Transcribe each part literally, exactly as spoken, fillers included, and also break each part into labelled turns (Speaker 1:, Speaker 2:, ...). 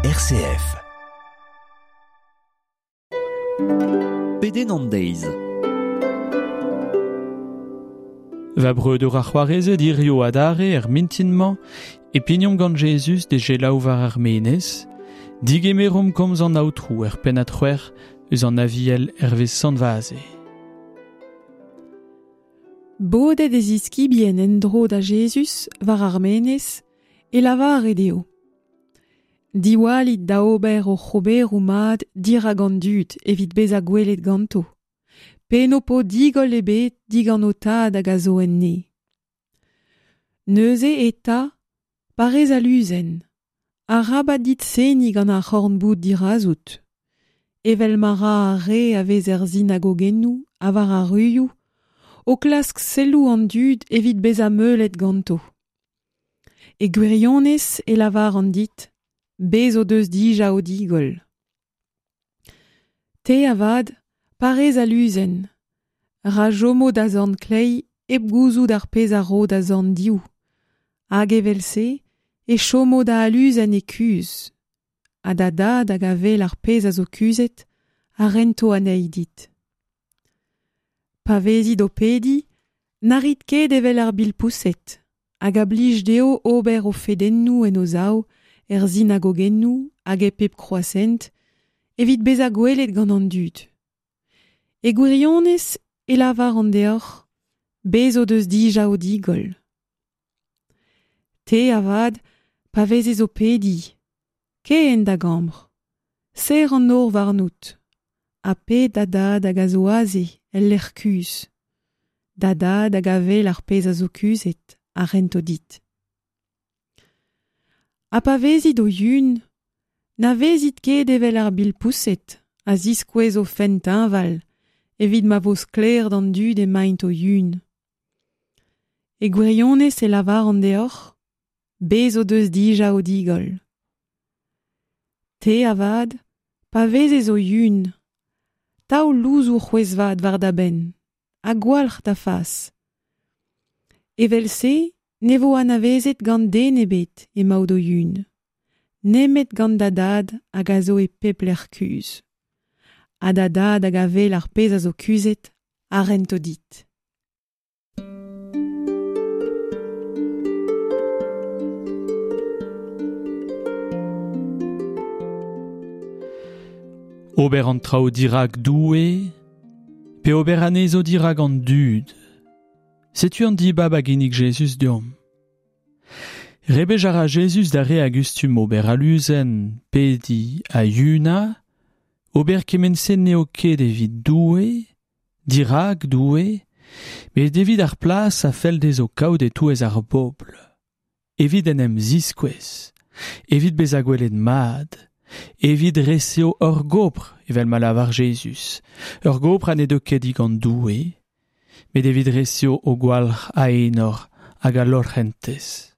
Speaker 1: R C F.
Speaker 2: Pedenn an deiz.
Speaker 3: Va breudeur ar c'hoarezed hirio adarre er mintin-mañ e pignomp gant Jezuz de gelaou war ar menez, digemeromp komz an aotrou er pennad c'hwec'h eus an aviel hervez Sant Vaze.
Speaker 4: Bodet e ziskibien en-dro da Jezuz war ar menez e lavare dezho. Diwallit da ober o c'hoberoù mat dirak an dud evit bezañ gwelet ganto. Pe n'ho po digoll ebet digant ho tad hag a zo en ne. Neuze eta, parez aluzen, arabat dit seniñ gant ar c'horn-boud dirazout. Evel ma ra ar re a vez er sinagogennoù ha war ar ruioù, o klask selloù an dud evit bezañ meulet ganto. E gwirionez e lavar an dit, bez o deus dija o digoll. Te avad, parez aluzen, ra chomo da zorn kleiz hep gouzout ar pezh a ro da zorn div. Hag evel-se e chomo da aluzen e kuzh. Ha da dad hag a wel ar pezh a zo kuzhet, a rento anezhi dit. Pa vezit o pediñ, na rit ket evel ar bilpoused, hag a blij dezho ober o fedennoù en o sav, er sinagogennoù hag e pep kroazhent, evit bezañ gwelet gant an dud. E gwirionez e lavar an deoc'h, bez o deus dija o digoll. Te avad, pa vezez o pediñ, kae en da gambr, serr an nor warnout, ha ped da dad hag a zo aze el lec'h kuzh. Da dad hag a wel ar pezh a zo kuzhet a rento dit. Ha pa vezit o yun, na vezit ket evel ar bilpoused a ziskouez o fenn teñval, evit ma vo sklaer d'an dud emaint o yun. E gwirionez e lavar an deoc'h, bez o deus dija o digoll. Te avad, pa vezez o yun, taol louzoù c'hwezh-vat war da benn, ha gwalc'h da fas. Evel-se, ne vo anavezet gant den ebet emaout o yun, nemet gant da dad hag a zo e pep lec'h kuzh. Ha da dad hag a wel ar pezh a zo kuzhet a rento dit.
Speaker 3: Ober an traoù dirak Doue, pe ober anezho dirak an dud. Setu an dibab a ginnig Jezuz deomp. Rebech a ra Jezuz da re a gustum ober aluzen, pediñ ha yunañ, ober kement-se n'eo ket evit Doue, dirak Doue, met evit ar plas a fell dezho kaout e-touez ar bobl. Evit en em ziskouez, evit bezañ gwelet mat, evit reseo ur gopr, evel ma lavar Jezuz, ur gopr ha ne deu ket digant Doue, met evit reseo o gwalc'h a enor hag a lorc'hentez.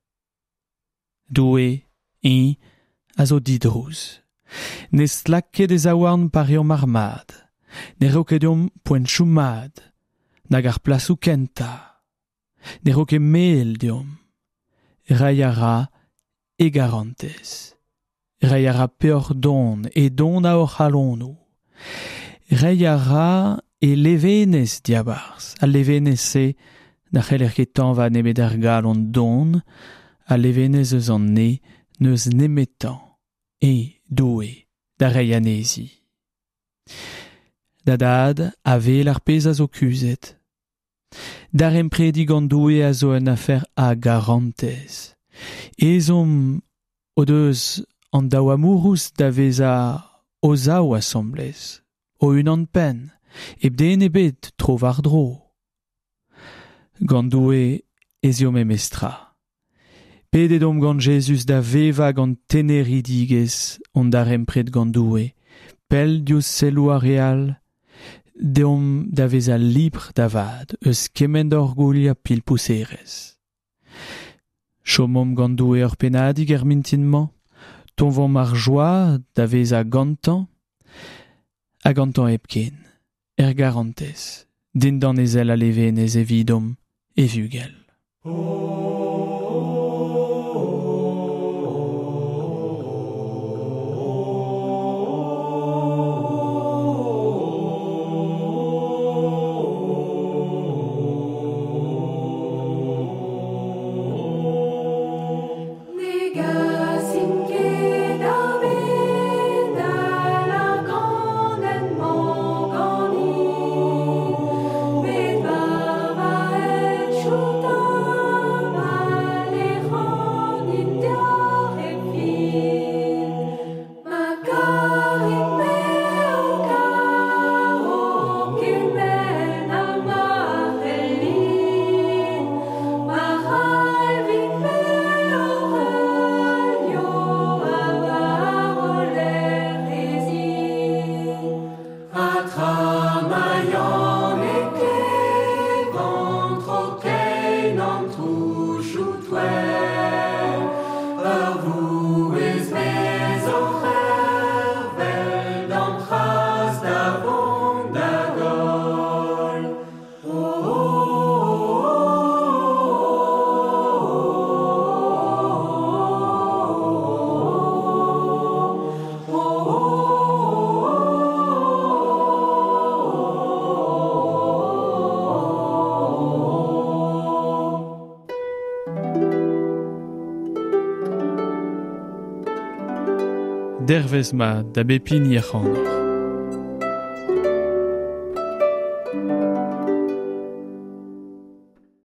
Speaker 3: Doue, eñ, a zo didrouz. Ne stlak ket e zaouarn pa reomp ar mad, ne ro ket deomp poentoù mat, nag ar plasoù kentañ. Ne ro ket mel deomp. Reiñ a ra e garantez. Reiñ a ra peoc'h don e don a hor c'halonoù. Reiñ a ra e levenez diabarzh. Al levenez-se na c'heller ket tañva nemet ar galon don, al levenez eus an ne n'eus nemetañ e Doue da reiñ anezhi. Da dad a wel ar pezh a zo kuzhet. Daremprediñ gant Doue a zo un afer a garantez. Ezhomm o deus an daou amourouz da vezañ o zaou asambles, o unan penn, hep den ebet tro war-dro. Gant Doue ez eo memestra. Pedet omp gant Jezuz da vevañ gant teneridigezh hon darempred gant Doue, pell diouzh selloù ar re all, deomp da vezañ libr da vat eus kement orgouilh ha pilpouserezh. Chomomp gant Doue ur pennadig er mintin-mañ, toñvomp ar joa da vezañ gantañ, ha gantañ hepken, er garantez, dindan e sell a levenez evidomp e vugel.
Speaker 1: Oh.
Speaker 3: Dervez mat da bep hini ac'hanoc'h.